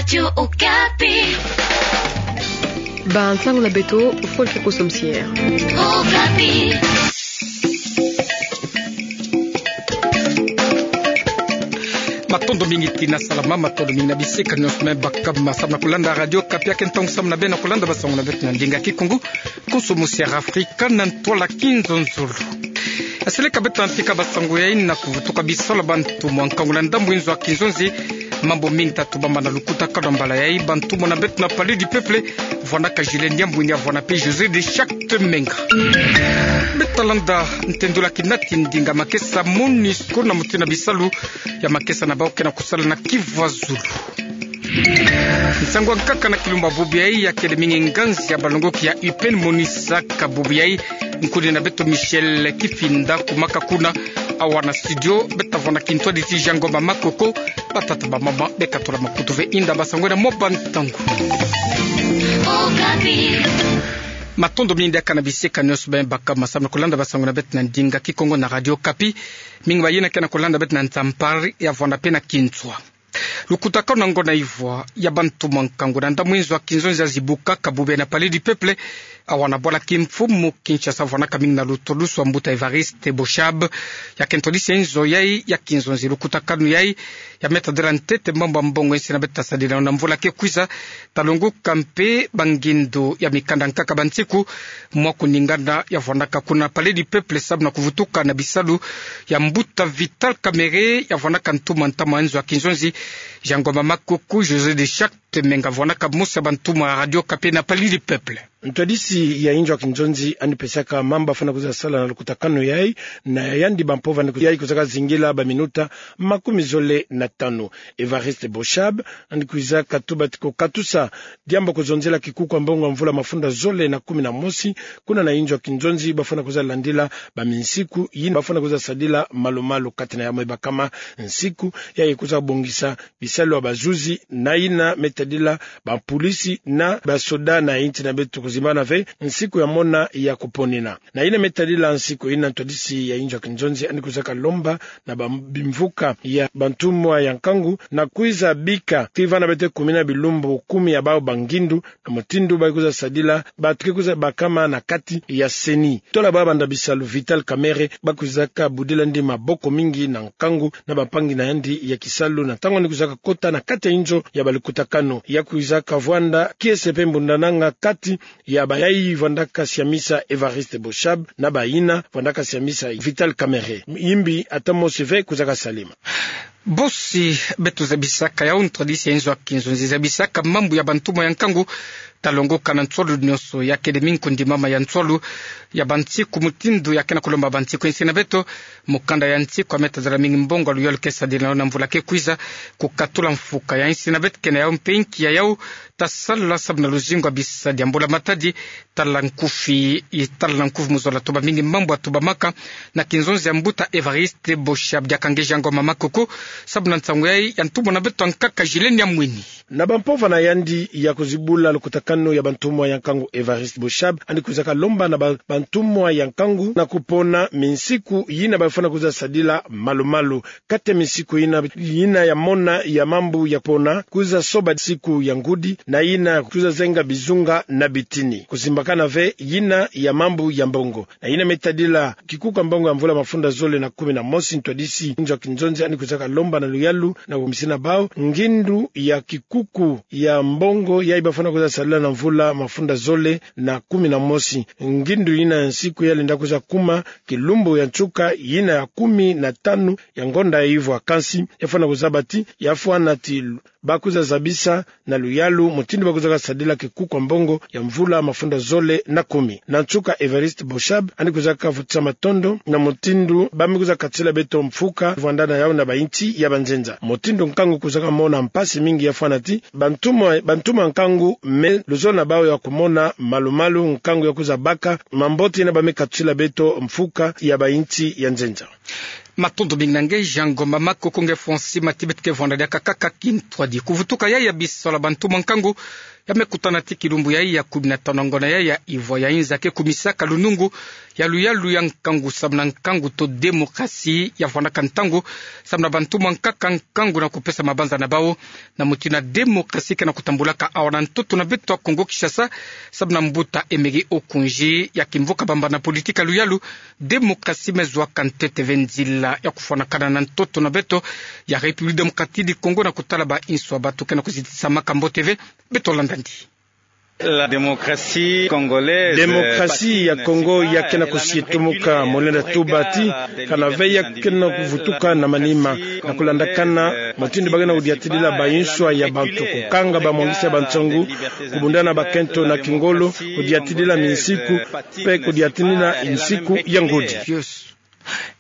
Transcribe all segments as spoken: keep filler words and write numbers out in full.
Radio Okapi. Bansango na beto, Folke Kosomsier. Okapi. Matondo mingi tina salama, matondo mingi na bisika nyonso me baka ma samu na kolanda Radio Okapi. Ake ntangu samu na beno na kolanda bansango na beto na ndinga Kikongo. Kosomsier Afrika na ntwala kinzonzolo. Aseleka beto na ntika bansango yai na kuvutuka bisalu ya bantumwa nkangu na ndambu inzo ya kinzonzi. Mambu mingi ta tubama na lukutakanu ya mbala yai, bantumwa na beto na Palais du Peuple, vwanaka Gilles Niambwini, vwana pe José de Charte Menga. Beto ta landa ntendula kinati ndinga makesa MONUSCO na mutindu na bisalu ya makesa na bau ke na kusala na Kivu ya Zulu. Nsangu ya nkaka na kilumbu ya bubu yai, ya kele mingi nganzi ya balongoki ya U P N monisaka bubu yai. Nkuni na beto Michel Kifinda kumaka kuna. Awa na studio beto ta vwanda kintwadisi Jean Ngoma Makoko. Batata bamama, bekatula makutu ve inda bansango yai na mwa bantangu. Matondo mingi diaka na bisika nyonso beno baka ma samu na kolanda bansango na beto na ndinga Kikongo na Radio Okapi. Mingi bayina ke na kolanda beto na Nzampare, ya vwanda pe na Kintswa. Lukutakanu na ngonda ivwa ya bantumwa nkangu na ndambu inzo ya kinzonzi ya zibukaka bubu yai na Palais du Peuple, awa na bwala kimfumu Kinshasa, vwanaka mingi na lutolusu ya mbuta Evariste Boshab. Ya ke ntwadisi ya inzo yai ya kinzonzi. Lukutakanu yai ya me tadila ntete mambu ya mbongo ya insi na beto ta sadila na mvula ke kwiza. Ta longoka mpe bangindu ya mikanda nkaka ba nsiku, mwa kuningana ya vwanaka kuna Palais du Peuple samu na kuvutuka na bisalu ya mbuta Vital Kamerhe, ya vwanaka ntumwa ntama ya inzo ya kinzonzi, Jean Ngoma Makoko, José de Charte Menga, vwanaka mosi ya bantumwa ya Radio Okapi na Palais du Peuple. Ntwadisi ya inzo ya kinzonzi yandi pesaka mambu ya fwana kwiza sala na lukutakanu yai, na yandi bampova yandi yai kwizaka zingila baminuta makumi zole na tanu. Evariste Boshab yandi kwizaka tuba ti kukatusa diambu ya kuzonzela kikuku ya mbongo ya mvula mafunda zole na kumi na mosi, kuna na inzo ya kinzonzi, ba fwana kwiza landila baminsiku yina ba fwana kwiza sadila malu-malu. Kati na yamwe bakama nsiku, yayi kwiza bongisa bisalu ya bazuzi, na yina me tadila bapulisi na basoda na insi na beto, kuzimbana ve nsiku ya mona ya kuponina. Na yina me tadila nsiku yina, ntwadisi ya inzo ya kinzonzi yandi kwizaka lomba na ba-, bimvuka ya bantumwa ya nkangu na kwiza bika, ti vana beto kumina bilumbu kumi ya bau bangindu, na mutindu ba kwiza sadila, ba tuke kwiza bakama na kati ya CENI. Tola baba nda bisalu Vital Kamerhe, ba kwizaka budila yandi maboko mingi na nkangu na bampangi na yandi ya kisalu, na ntangu yandi kwizaka kota na kati ya inzo ya balukutakanu. Ya kwizaka vwanda kiese mpe mbundananga kati ya bayayi vwandaka siamisa Evariste Boshab na bayina vwandaka siamisa Vital Kamerhe. Yimbi ata mosi ve kwizaka salema. Bosi beto zabisaka yau, ntwadisi ya inzo ya kinzonzi zabisaka mambu ya bantumwa ya nkangu, ta longoka na nswalu nyonso, ya kele mingi kundimama ya nswalu ya bansiku, mutindu ya ke na kulomba bansiku ya insi na beto. Mukanda ya nsiku ya me tadila mingi mbongo ya luyalu ke sadila na mvula ke kwiza, kukatula mfuka ya insi na beto. Ke na yau mpe nki ya yau ta sala samu na luzingu ya bisadi ya mbula-matadi, tala nkufi, tala nkufi mu zola tuba mingi mambu ya tubamaka na kinzonzi ya mbuta Evariste Boshab. Diaka nge Jean Ngoma Makoko, samu na nsangu yai ya ntumwa na beto ya nkaka Gilles Niambwini. Na bampova na yandi ya kuzibula lukutakanu ya bantumwa ya nkangu, Evariste Boshab yandi kwizaka lomba na ba-, bantumwa ya nkangu na kupona minsiku yina ba fwana kwiza sadila malu-malu. Kati ya minsiku yina, yina ya mona ya mambu ya pona, kwiza soba nsiku ya ngudi, na yina kwiza zenga bizunga na bitini. Kuzimbakana ve yina ya mambu ya mbongo. Na yina me tadila kikuku ya mbongo ya mvula mafunda zole na kumi na mosi, ntwadisi inzo ya kinzonzi yandi kwizaka lomba na luyalu na komisina bau, ngindu ya kikuku ya mbongo yayi ba fwana kwiza sadila na mvula mafunda zole na kumi na mosi. Ngindu yina ya nsiku ya lenda kwiza kuma kilumbu ya nsuka yina ya kumi na tanu ya ngonda ya ivwa. Kansi ya fwana kuzaba ti, ya fwana ti ba kwiza zabisa na luyalu mutindu ba kwizaka sadila kikuku ya mbongo ya mvula mafunda zole na kumi. Na nsuka, Evariste Boshab yandi kwizaka vutisa matondo na mutindu ba me kwiza katila beto mfuka vwanda na yau na bainsi ya banzenza. Mutindu nkangu kwizaka mona mpasi mingi, ya fwana ti bantumwa, bantumwa nkangu me luzolo na bau ya kumona malu-malu, nkangu ya kwiza baka mambote yina ba me katila beto mfuka ya bainsi ya nzenza. Matondo mingi na nge Jean Ngoma Makoko. Nge Francis Matibet ke vwanda diaka kaka kintwadi. Kuvutuka yai ya bisalu ya bantumwa nkangu, Ba me kutana ti kilumbu yayi ya kumi na tano ngona yayi ya ivwa ya inza ke kumisaka lunungu ya luyalu ya nkangu samu na nkangu to demokrasi ya vwanaka ntangu samu na bantu mwa nkaka nkangu na kupesa mabanza na bawu na mutindu ya demokrasi ke na kutambulaka awa na ntoto na beto ya Kongo Kinshasa, samu na mbuta Emery Okundji ya kimvuka bambana politiki ya luyalu, demokrasi me zwaka ntete ve nzila ya kufwanakana na ntoto na beto ya République Démocratique du Congo na kutala bainso ya batu ke na kuzitisamaka mbote ve. Beto landa ndi. La démocratie congolaise. Demokrasi ya Kongo ya ke na kusietumuka, mu lenda tuba ti kana ve ya ke na kuvutuka na manima na kulandakana mutindu ba ke na kudiatidila bainso ya bantu, kukanga bamwangisi ya bansangu, kubundana bakento na kingolo, kudiatidila minsiku, mpe kudiatidila nsiku ya ngudi.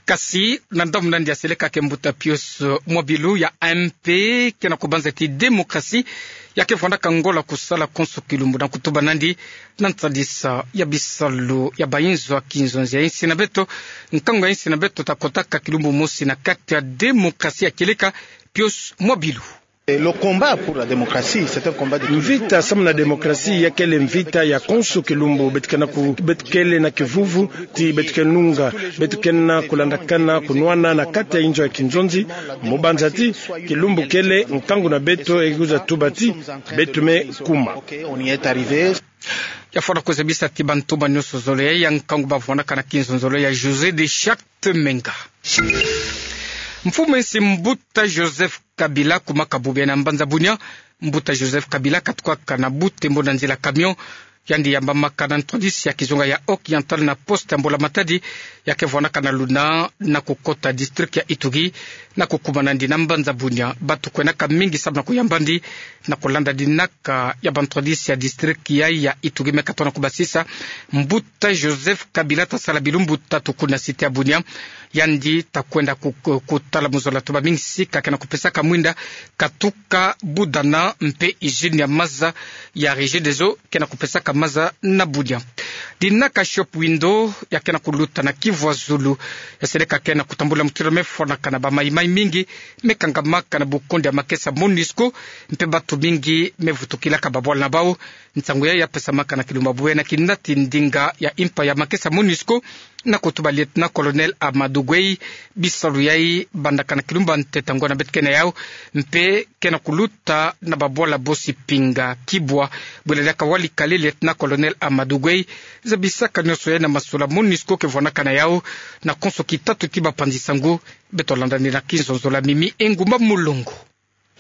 Kasi na ndambu nandi ya seleka ke mbuta Pius Mwabilu ya M P ke na kubanza ti demokrasi ya ke vwanaka ngola kusala konso kilumbu na kutuba nandi na nsadisa ya bisalu ya bainzo ya kinzonzi ya insi na beto, nkangu ya insi na beto ta kotaka kilumbu mosi na kati ya demokrasi ya kieleka. Pius Mwabilu. Et le combat pour la démocratie, c'est un combat de tous les jours. Mvita samu na demokrasi ya kele mvita ya konso kilumbu. Beto ke na ku-, beto kele na kivuvu ti beto ke nunga, beto ke na kulandakana kunwana na kati ya inzo ya kinzonzi, mu banza ti kilumbu kele nkangu na beto e kwiza tuba ti beto me kuma. Ok, on y est arrivé. Ya fwana kuzabisa ti bantu ba nyonso zole ya nkangu ba vwanaka na kinzonzolo ya José de Charte Menga. Mfumu ya nsi mbuta Joseph Kabila kumaka bubu yayi na mbanza Bunia. Mbuta Joseph Kabila katukaka na butembo na nzila camion. Yandi yambamaka na ntwadisi ya kizunga ya Occidental na poste ya Mbula Matadi ya ke vwanaka na luna na kukota district ya Ituri na kukuma nandi na mbanza Bunia. Batu kwenaka mingi samu na kuyamba ndi na kulanda dinaka ya bantwadisi ya district yayi ya Ituri me katona kubasisa. Mbuta Joseph Kabila ta sala bilumbu tatu kuna cité ya Bunia. Yandi ta kwenda ku-, ku-, kutala mu zola tu bamingi sika ke na kupesaka mwinda katuka budana mpe usine ya maza ya Regideso ke na kupesaka maza na Bunia. Dinaka shop window ya ke na kuluta na kivu ya zulu ya seleka ke na kutambula mutindu me fwanakana, ba maï-maï mingi me kangamaka na bukondi ya makesa MONUSCO, mpe batu mingi me vutukilaka babwala na bawu. Nsangu yayi ya pesamaka na kilumbu ya bubu yayi na kinati ndinga ya impa ya makesa MONUSCO, na kutuba lieutenant-colonel Amadou Gueye. Bisalu yayi bandaka na kilumbu ya ntete ngona beto ke na yawu, mpe ke na kuluta na babwala bosi pinga kibwa. Bwela diaka wali kale lieutenant-colonel Amadou Gueye zabisaka nyonso yayi na masula MONUSCO ke vwanaka na yawu na konso kitatu ti bapanzi sangu. Beto landa ndi na kinzonzolo ya Mimi Engumba Mulongo.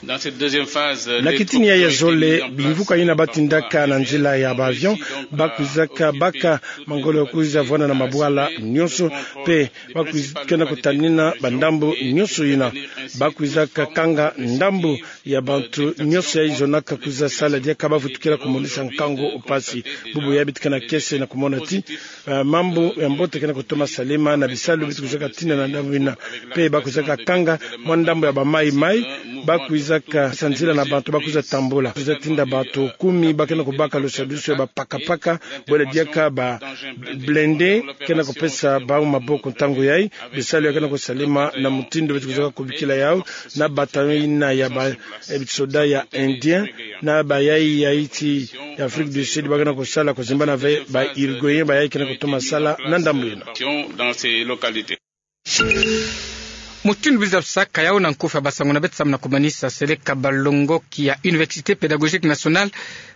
Dans cette deuxième phase, na kitini yayi ya zole, bimvuka yina ba tindaka na nzila ya ba avion, ba kwizaka baka mangolo ya kwiza vwanda na mabwala nyonso, mpe ba kwiz-, ke na kutanina bandambu nyonso yina. Ba kwizaka kanga ndambu ya bantu nyonso yayi zonaka kwiza sala diaka ba vutukila kumonisa nkangu mpasi. Bubu yayi beto ke na kiese na kumona ti ah, mambu ya mbote ke na kutoma salama na bisalu beto kwizaka tina na ndambu yina. Mpe ba kwizaka kanga mwa ndambu ya ba maï-maï, ba kwizaka sa nzila na bantu ba kwiza tambula. Kwiza tinda bantu kumi ba ke na kubaka lusadusu ya ba paka-paka, bwela diaka ba blindés ke na kupesa bawu maboko ntangu yayi. Bisalu yayi ke na kusalama na mutindu beto kwizaka kubikila yawu na bataillon yina ya ba, eh, soda ya Indien, na bayayi ya insi ya Afrique du Sud ba ke na kusala kuzimbana ve ba Uruguayen, bayayi ke na kutoma sala na ndambu yina. Dans ces localités. Mutindu biza bisaka yawu na nkufi ya basangu na beto samu na kumanisa, seleka balongoki ya Université Pédagogique Nationale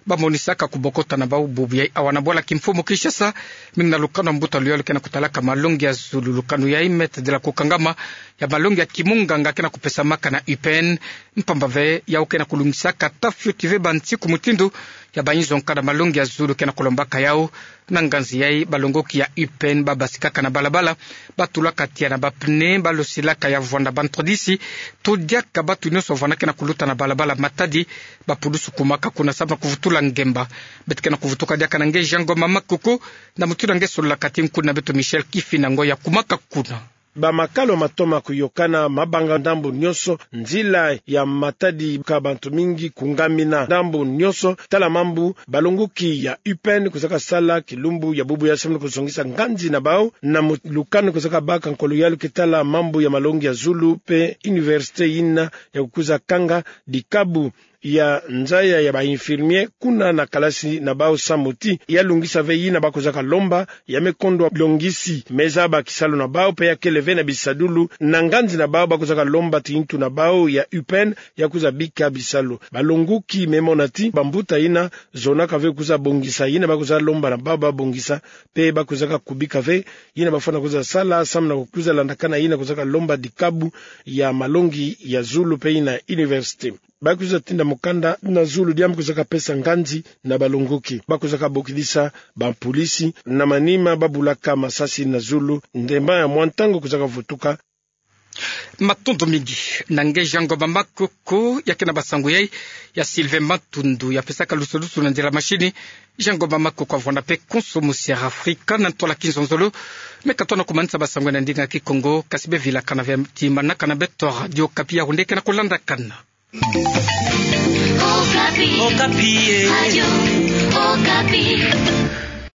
ba monisaka kubokota na bawu bubu yayi awa na bwala kimfumu Kinshasa, mingi na lukanu ya mbuta luyalu ke na kutalaka malongi ya zulu. Lukanu yayi Maître de la Kukangama ya malongi ya kimunganga ke na kupesamaka na U P N, mpamba ve yawu ke na kulungisaka ata fioti ve bansiku mutindu ya bainzo nkada malongi ya zulu ke na kulombaka yawu. Na nganzi yayi, balongoki ya U P N ba basikaka na balabala, ba tulaka tiya na ba pneu, ba losilaka ya vwanda bantwadisi, to diaka batu nyonso vwanda ke na kuluta na balabala Matadi, ba pulusu kumaka kuna samu na kuvutula ngemba. Beto ke na kuvutuka diaka na nge Jean Ngoma Makoko, na mutindu nge sololaka ti nkuna beto Michel Kifinda Ngoyi ya kumaka kuna. Ba makalo matoma kuyokana, mabanga ndambu nyonso, nzila ya Matadi ka bantu mingi kungamina ndambu nyonso. Tala mambu balongoki ya U P N kwizaka sala kilumbu ya bubu yayi samu na kuzongisa nganzi na bawu, na mu-, lukanu kwizaka baka nkolo yalu ke tala mambu ya malongi ya zulu mpe université yina ya kukwiza kanga dikabu ya nzaya ya ba infirmier kuna na kalasi na bau samu ti ya lungisa ve yina ba kozaka lomba, ya me kondwa longisi me zaba kisalu na bau, pe ya kele ve na bisadulu na nganzi na bau ba kozaka lomba ti ntu na bau ya U P N ya kuza bika bisalu. Balonguki me mona ti bambuta yina zonaka ve kuza bongisa yina ba kuza lomba na bau ba bongisa, pe ba kuzaka kubika ve yina bafwana kuza sala samu na kuza landakana yina kozaka lomba dikabu ya malongi ya zulu pe yina université. Ba kuza tinda mukanda na zulu diambu kozaka pesa nganzi na balonguki. Ba kuzaka bokidisa bampulisi na manima ba bulaka masasi na zulu, ndemba ya mwa ntangu kozaka vutuka. Matondo mingi. Na nge Jean Ngomba Makoko, ya kena basango yai, ya Sylvain Matundu ya pesaka lusu lusu na nzila mashini. Jean Ngomba Makoko avwanda pe konso musi ya Afrika na ntwala kinzonzolo. Me katona kumanisa basango na ndinga Kikongo, kasi be vilakana ve ti manaka na beto Radio Okapi, ya hunde kena kulandakana. Okapi. Okapi, eh. Radio Okapi.